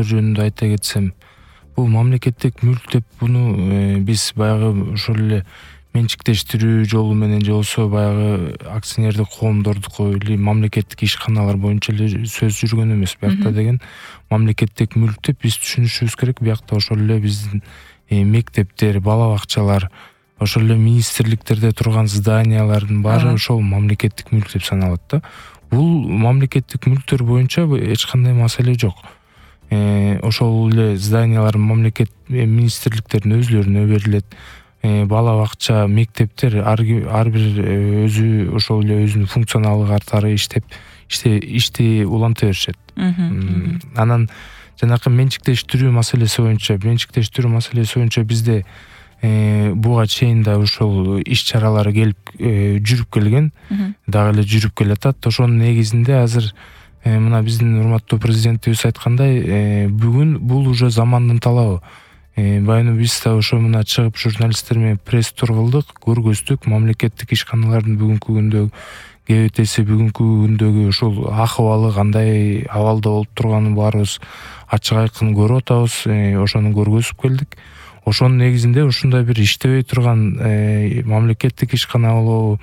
жөнүндө айта кетсем, бул мамлекеттик мүлк деп буну биз баягы ошол эле менчиктештирүү жолу менен же болбосо баягы акционердик коомдордуку или мамлекеттик ишканалар боюнча эле сөз жүргөн эмес. Биякта деген мамлекеттик мүлк деп биз түшүнүшүбүз керек. Биякта ошол эле биздин мектептер, бала бакчалар, ошол эле министрликтерде турган зданиялардын баары ошол мамлекеттик мүлк деп саналат да. Бул мамлекеттик мүлктөр боюнча эч кандай маселе жок. Ошол эле зданиялар мамлекет министрликтердин өзлөрүнө берилет. Бала бакча, мектептер ар бир өзү ошол эле өзүнүн функционалдык катары ишти уланта беришет. Анан жанакы менчиктештирүү маселеси боюнча бизде буга чейин да ошол иш чаралар келип жүрүп келген, дагы эле жүрүп келатат. Ошонун негизинде азыр мына биздин урматтуу президентибиз айткандай, бүгүн бул уже замандын талабы. Баягы биз да ошо мына чыгып журналисттер менен пресс-тур кылдык, көргөздүк мамлекеттик ишканалардын бүгүнкү күндө кебетеси, бүгүнкү күндөгү ошол акыбалы кандай абалда болуп турганын баарыбыз ачык айкын көрүп атабыз. Ошону көргөзүп келдик. Ошонун негизинде ушундай бир иштебей турган мамлекеттик ишкана болобу,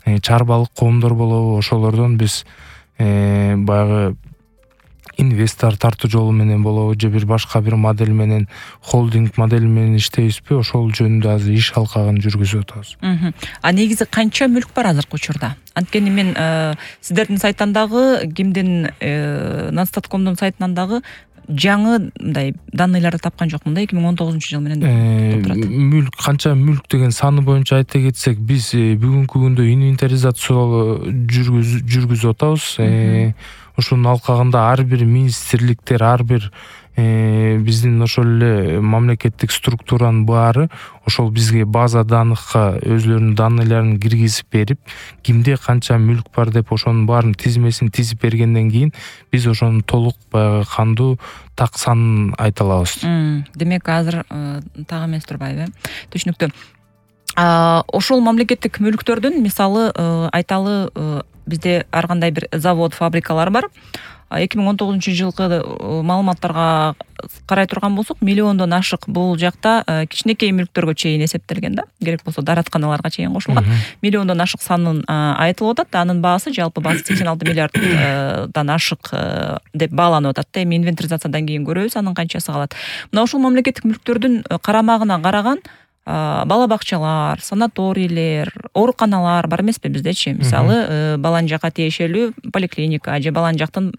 чарбалык коомдор болобу, ошолордон биз баягы инвестор тартуу жолу менен болобу же бир башка бир модель менен, холдинг модели менен иштейбизби, ошол жөнүндө азыр иш алкагын жүргүзүп атабыз. А негизи канча мүлк бар азыркы учурда? Анткени мен сиздердин сайттан дагы, кимдин Нацстаткомдун сайтынан дагы жаңы мындай данныйларды тапкан жокмун да, 2019-жыл менен турат. Мүлк, канча мүлк деген саны боюнча айта кетсек, биз бүгүнкү күндө инвентаризацияны жүргүзүп атабыз. Ошонун алкагында ар бир министрликтер, ар бир биздин ошол эле мамлекеттик структуранын баары ошол бизге база даныкка өзлөрүнүн данныйларын киргизип берип, кимде канча мүлк бар деп ошонун баарын тизмесин тизип бергенден кийин биз ошонун толук баягы кандуу так санын айта алабыз. Демек азыр так эмес турбайбы? Түшүнүктүү. Ошол мамлекеттик мүлктөрдүн мисалы айталы бизде ар кандай бир завод, фабрикалар бар. 2019-жылкы маалыматтарга карай турган болсок, миллиондон ашык бул жакта кичинекей мүлктөргө чейин эсептелген да. Керек болсо дааратканаларга чейин кошулган. Миллиондон ашык санын айтылып атат. Анын баасы, жалпы баасы 86 миллиарддан ашык деп бааланып атат да. Эми инвентаризациядан кийин көрөбүз анын канчасы калат. Мына ушул мамлекеттик мүлктөрдүн карамагына караган бала бакчалар, санаторийлер, ооруканалар бар эмеспи биздечи? Мисалы, балан жакка тиешелүү поликлиника же балан жактын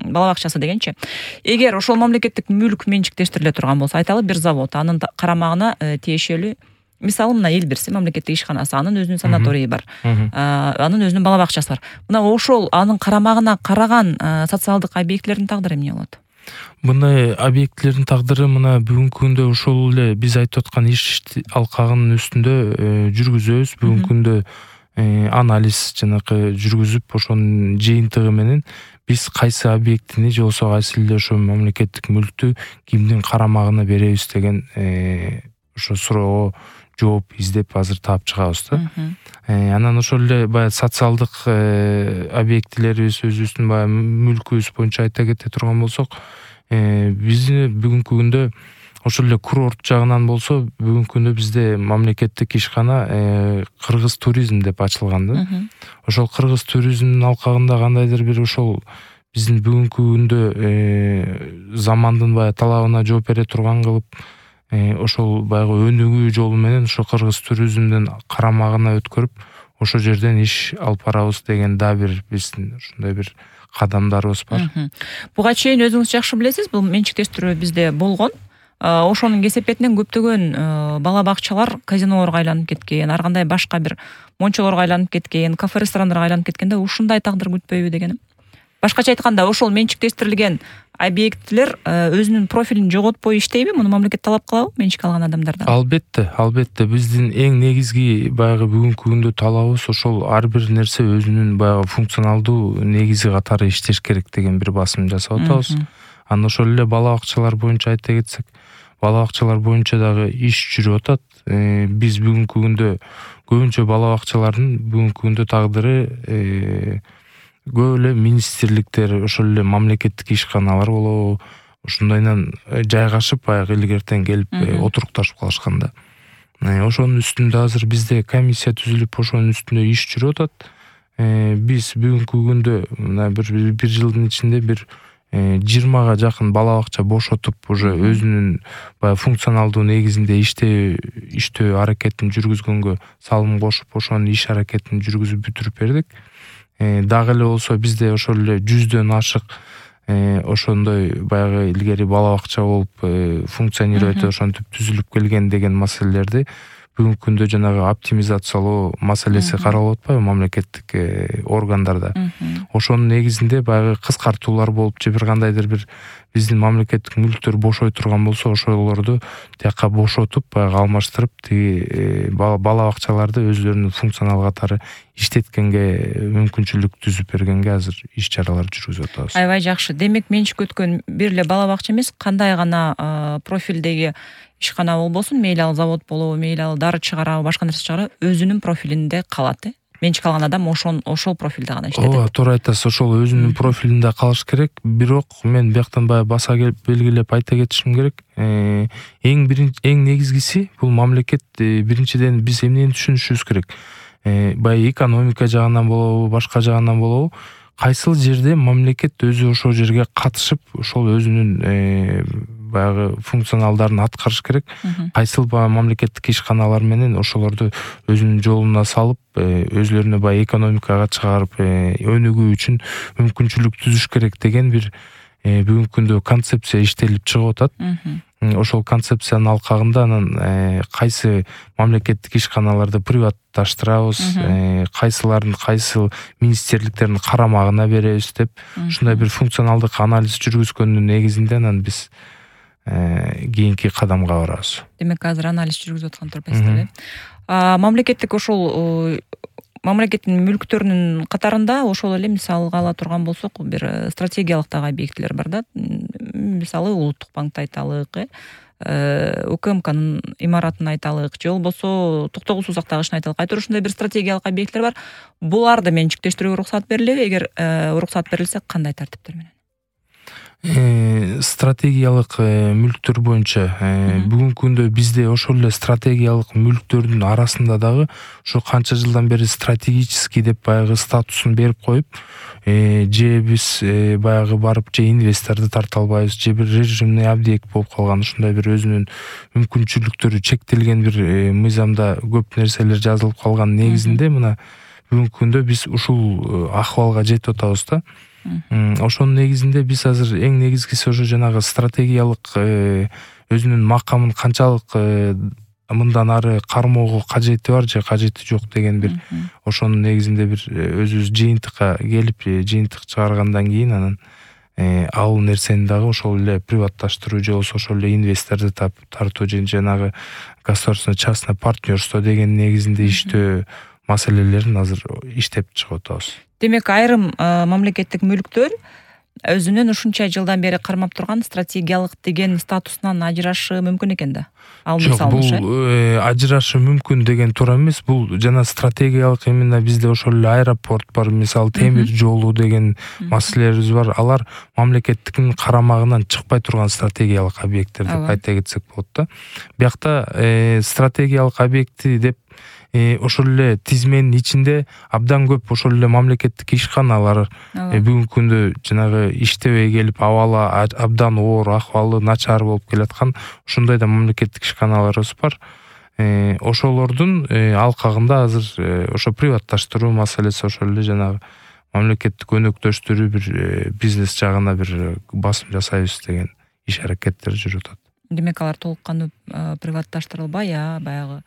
бала бакчасы дегенчи. Эгер ошол мамлекеттик мүлк менчиктештириле турган болсо, айталы бир завод, анын карамагына тиешелүү, мисалы мына Элбирси мамлекеттик ишканасы, анын өзүнүн санаторийи бар, анын өзүнүн бала бакчасы бар. Мына ошол анын карамагына караган социалдык объектилердин тагдыры эмне болот? Мындай объектилердин тагдыры мына бүгүнкү күндө ошол эле биз айтып аткан иш алкагынын үстүндө жүргүзөбүз. Бүгүнкү күндө анализ жанакы жүргүзүп, ошонун жыйынтыгы менен биз кайсы объектини же болбосо кайсы эле ошо мамлекеттик мүлктү кимдин карамагына беребиз деген ошо суроого жооп издеп азыр таап чыгабыз да. Анан ошол эле баягы социалдык объектилерибиз, өзүбүздүн баягы мүлкүбүз боюнча айта кете турган болсок, бизди бүгүнкү күндө ошол эле курорт жагынан болсо, бүгүнкү күндө бизде мамлекеттик ишкана Кыргыз туризм деп ачылган да. Ошол Кыргыз туризмдин алкагында кандайдыр бир ошол биздин бүгүнкү күндө замандын баягы талабына жооп бере турган кылып, ошол баягы өнүгүү жолу менен ошо Кыргыз туризмдин карамагына өткөрүп, ошол жерден иш алып барабыз деген да бир биздин ушундай бир кадамдарыбыз бар. Буга чейин өзүңүз жакшы билесиз, бул менчиктештирүү бизде болгон. Ошонун кесепетинен көптөгөн бала бакчалар казинолорго айланып кеткен, ар кандай башка бир мончолорго айланып кеткен, кафе-ресторандарга айланып кеткенде ушундай тагдыр күтпөйбү дегеним. Башкача айтканда, ошол менчиктештирилген объектилер өзүнүн профилин жоготпой иштейби? Муну мамлекет талап кылабы менчик алган адамдардан? Албетте. Биздин эң негизги баягы бүгүнкү күндө талабыбыз ошол ар бир нерсе өзүнүн баягы функционалдуу негизи катары иштеш керек деген бир басым жасап атабыз. Анан ошол эле бала бакчалар боюнча айта кетсек, бала бакчалар боюнча дагы иш жүрүп атат. Биз бүгүнкү күндө көбүнчө бала бакчалардын бүгүнкү күндө тагдыры көп эле министрликтер, ошол эле мамлекеттик ишканалар болобу, ушундайдан жайгашып баягы илгертен келип отурукташып калышканда. Ошонун үстүндө азыр бизде комиссия түзүлүп ошонун үстүндө иш жүрүп атат. Биз бүгүнкү күндө мына бир жылдын ичинде бир 20га жакын бала бакча бошотуп уже өзүнүн баягы функционалдуу негизинде иштөө аракетин жүргүзгөнгө салым кошуп ошонун иш аракетин жүргүзүп бүтүрүп бердик. Дагы эле болсо бизде ошол эле 100дөн ашык ошондой баягы илгери бала бакча болуп функционировать этип ошентип түзүлүп келген деген маселелерди бүгүнкү күндө жанагы оптимизациялоо маселеси каралып атпайбы мамлекеттик органдарда. Ошонун негизинде баягы кыскартуулар болуп же бир кандайдыр бир биздин мамлекеттик мүлктөр бошой турган болсо ошолорду тияка бошотуп баягы алмаштырып тиги бала бакчаларды өзлөрүнүн функционал катары иштеткенге мүмкүнчүлүк түзүп бергенге азыр иш чаралар жүргүзүп атабыз. Аябай жакшы. Демек менчик өткөн бир эле бала бакча эмес, кандай гана профилдеги ишкана болбосун, мейли ал завод болобу, мейли ал дары чыгарабы, башка нерсе чыгарабы, өзүнүн профилинде калат. Менчик алган адам ошол профилде гана иштейт. Ооба, туура айтасыз. Ошол өзүнүн профилинде калыш керек. Бирок мен бияктан баягы баса белгилеп айта кетишим керек. Эң негизгиси бул мамлекет биринчиден биз эмнени түшүнүшүбүз керек. Баягы экономика жагынан болобу, башка жагынан болобу, кайсыл жерде мамлекет өзү ошол жерге катышып, ошол өзүнүн баягы функционалдарын аткарыш керек. Кайсыл мамлекеттик ишканалар менен ошолорду өзүнүн жолуна салып, өзлөрүнө баягы экономикага чыгарып, өнүгүү үчүн мүмкүнчүлүк түзүш керек деген бир бүгүнкү күндө концепция иштелип чыгып атат. Ошол концепциянын алкагында анан кайсы мамлекеттик ишканаларды приватташтырабыз, кайсыларын кайсы министрликтердин карамагына беребиз деп ушундай бир функционалдык анализ жүргүзгөндүн негизинде анан биз кийинки кадамга барабыз. Демек азыр анализ жүргүзүп аткан турбайсыздар. Мамлекеттик ошол мамлекеттин мүлктөрүнүн катарында ошол эле мисалга ала турган болсок, бир стратегиялык дагы объектилер бар да. Мисалы Улуттук банкты айталык, УКМКнын имаратын айталык, же болбосо Токтогул Сузактагы ишин айталык. Айтор ушундай бир стратегиялык объекттер бар. Буларды менчиктештирүүгө уруксат берилеби? Эгер уруксат берилсе, кандай тартиптер менен? Стратегиялык мүлктөр боюнча бүгүнкү күндө бизде ошол эле стратегиялык мүлктөрдүн арасында дагы ушу канча жылдан бери стратегический деп баягы статусун берип коюп, же биз баягы барып же инвесторду тарта албайбыз, же бир режимный объект болуп калган, ушундай бир өзүнүн мүмкүнчүлүктөрү чектелген бир мыйзамда көп нерселер жазылып калган негизинде мына бүгүнкү күндө биз ушул акыбалга жетип атабыз да. Ошонун негизинде биз азыр эң негизгиси ошо жанагы стратегиялык өзүнүн макамын канчалык мындан ары кармоого кажети бар же кажети жок деген бир ошонун негизинде бир өзүбүз жыйынтыкка келип, жыйынтык чыгаргандан кийин анан ал нерсени дагы ошол эле приватташтыруу же болбосо ошол эле инвесторду тартуу же жанагы государственный частный партнерство деген негизинде иштөө маселелерин азыр иштеп чыгып атабыз. Демек айрым мамлекеттик мүлктөр өзүнүн ушунча жылдан бери кармап турган стратегиялык деген статусунан ажырашы мүмкүн экен да. Ал мисалы бул ажырашы мүмкүн деген туура эмес. Бул жана стратегиялык именно бизде ошол эле аэропорт бар, мисалы темир жолу деген маселелерибиз бар. Алар мамлекеттиктин карамагынан чыкпай турган стратегиялык объекттер деп айта кетсек болот да. Биякта стратегиялык объекти деп ошол эле тизменин ичинде абдан көп ошол эле мамлекеттик ишканалар бүгүнкү күндө жанагы иштебей келип абалы абдан оор, акыбалы начар болуп келаткан ушундай да мамлекеттик ишканаларыбыз бар. Ошолордун алкагында азыр ошо приватташтыруу маселеси ошол эле жанагы мамлекеттик өнөктөштүрүү бир бизнес жагына бир басым жасайбыз деген иш аракеттер жүрүп атат. Демек алар толук кандуу приватташтырылбай, баягы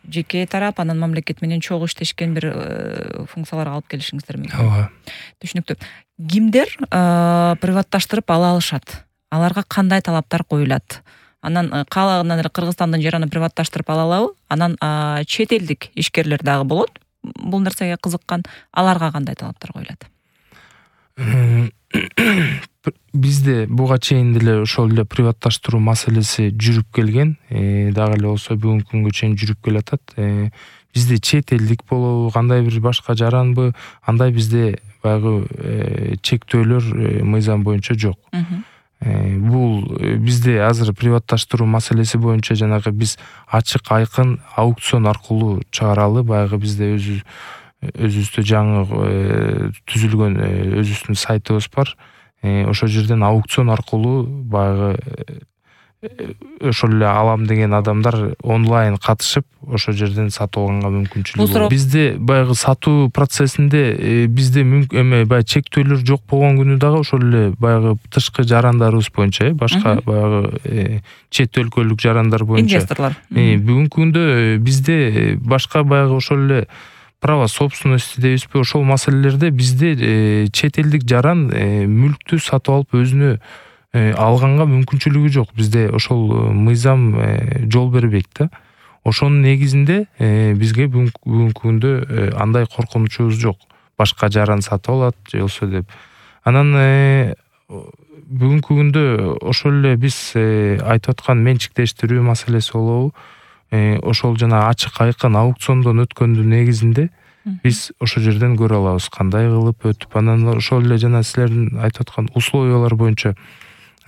жеке тарап анан мамлекет менен чогуу иштешкен бир функцияларга алып келишиңиздер мүмкүн. Ооба. Түшүнүктүү. Кимдер приватташтырып ала алышат? Аларга кандай талаптар коюлат? Анан каалагандан эле Кыргызстандын жерин приватташтырып ала алабы? Анан чет элдик ишкерлер дагы болот. Бул нерсеге кызыккан, аларга кандай талаптар коюлат? Бизде буга чейин деле ошол эле приватташтыруу маселеси жүрүп келген, дагы эле болсо бүгүнкү күнгө чейин жүрүп келатат. Бизде чет элдик болобу, кандай бир башка жаранбы, андай бизде баягы чектөөлөр мыйзам боюнча жок. Бул бул бизде азыр приватташтыруу маселеси боюнча жанагы биз ачык айкын аукцион аркылуу чыгаралы. Баягы бизде өзүбүздө жаңы түзүлгөн өзүбүздүн сайтыбыз бар. Ошол жерден аукцион аркылуу баягы ошол эле алам деген адамдар онлайн катышып ошол жерден сатып алганга мүмкүнчүлүгү бар. Бизде баягы сатуу процессинде бизде баягы чектөөлөр жок болгон күнү дагы ошол эле баягы тышкы жарандарыбыз боюнча башка баягы чет өлкөлүк жарандар боюнча инвесторлор бүгүнкү күндө бизде башка баягы ошол эле право собственности дейбизби, ошол маселелерде бизде чет элдик жаран мүлктү сатып алып өзүнө алганга мүмкүнчүлүгү жок. Бизде ошол мыйзам жол бербейт да. Ошонун негизинде бизге бүгүнкү күндө андай коркунучубуз жок. Башка жаран сатып алат же болсо деп. Анан бүгүнкү күндө ошол эле биз айтып аткан менчиктештирүү маселеси болобу, ошол жана ачык айкын аукциондон өткөндүн негизинде биз ошол жерден көрө алабыз кандай кылып өтүп. Анан ошол эле жана силердин айтып аткан условиялар боюнча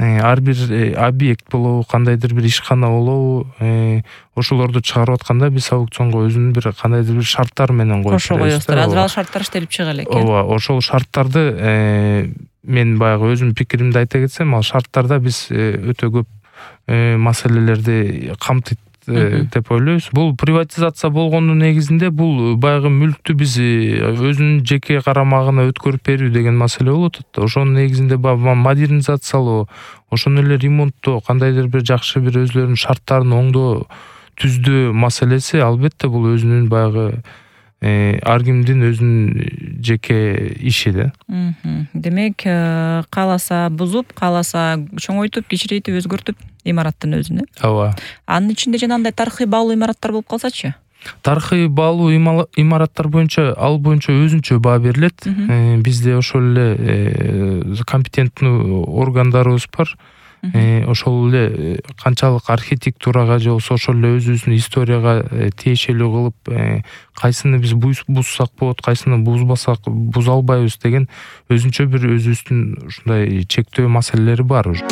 ар бир объект болобу, кандайдыр бир ишкана болобу, ошолорду чыгарып атканда биз аукционго өзүнүн бир кандайдыр бир шарттар менен кошо коесуздар. Азыр ал шарттар иштелип чыга элек. Ооба, ошол шарттарды мен баягы өзүмдүн пикиримди айта кетсем, ал шарттарда биз өтө көп маселелерди камтыйт деп ойлойбуз. Бул приватизация болгондун негизинде бул баягы мүлктү биз өзүнүн жеке карамагына өткөрүп берүү деген маселе болуп атат. Ошонун негизинде модернизациялоо, ошону эле ремонттоо, кандайдыр бир жакшы бир өзлөрүнүн шарттарын оңдоо, түздөө маселеси албетте бул өзүнүн баягы ар кимдин өзүнүн жеке иши да. Демек, кааласа бузуп, кааласа чоңойтуп, кичирейтип, өзгөртүп имараттын өзүн. Ооба. Анын ичинде жанагындай тарыхый баалуу имараттар болуп калсачы? Тарыхый баалуу имараттар боюнча ал боюнча өзүнчө баа берилет. Бизде ошол эле компетенттүү органдарыбыз бар. Ошол эле канчалык архитектурага же болсо ошол эле өзүбүздүн историяга тиешелүү кылып кайсыны биз бузсак болот, кайсыны бузбасак буза албайбыз деген өзүнчө бир өзүбүздүн ушундай чектөө маселелери бар уже.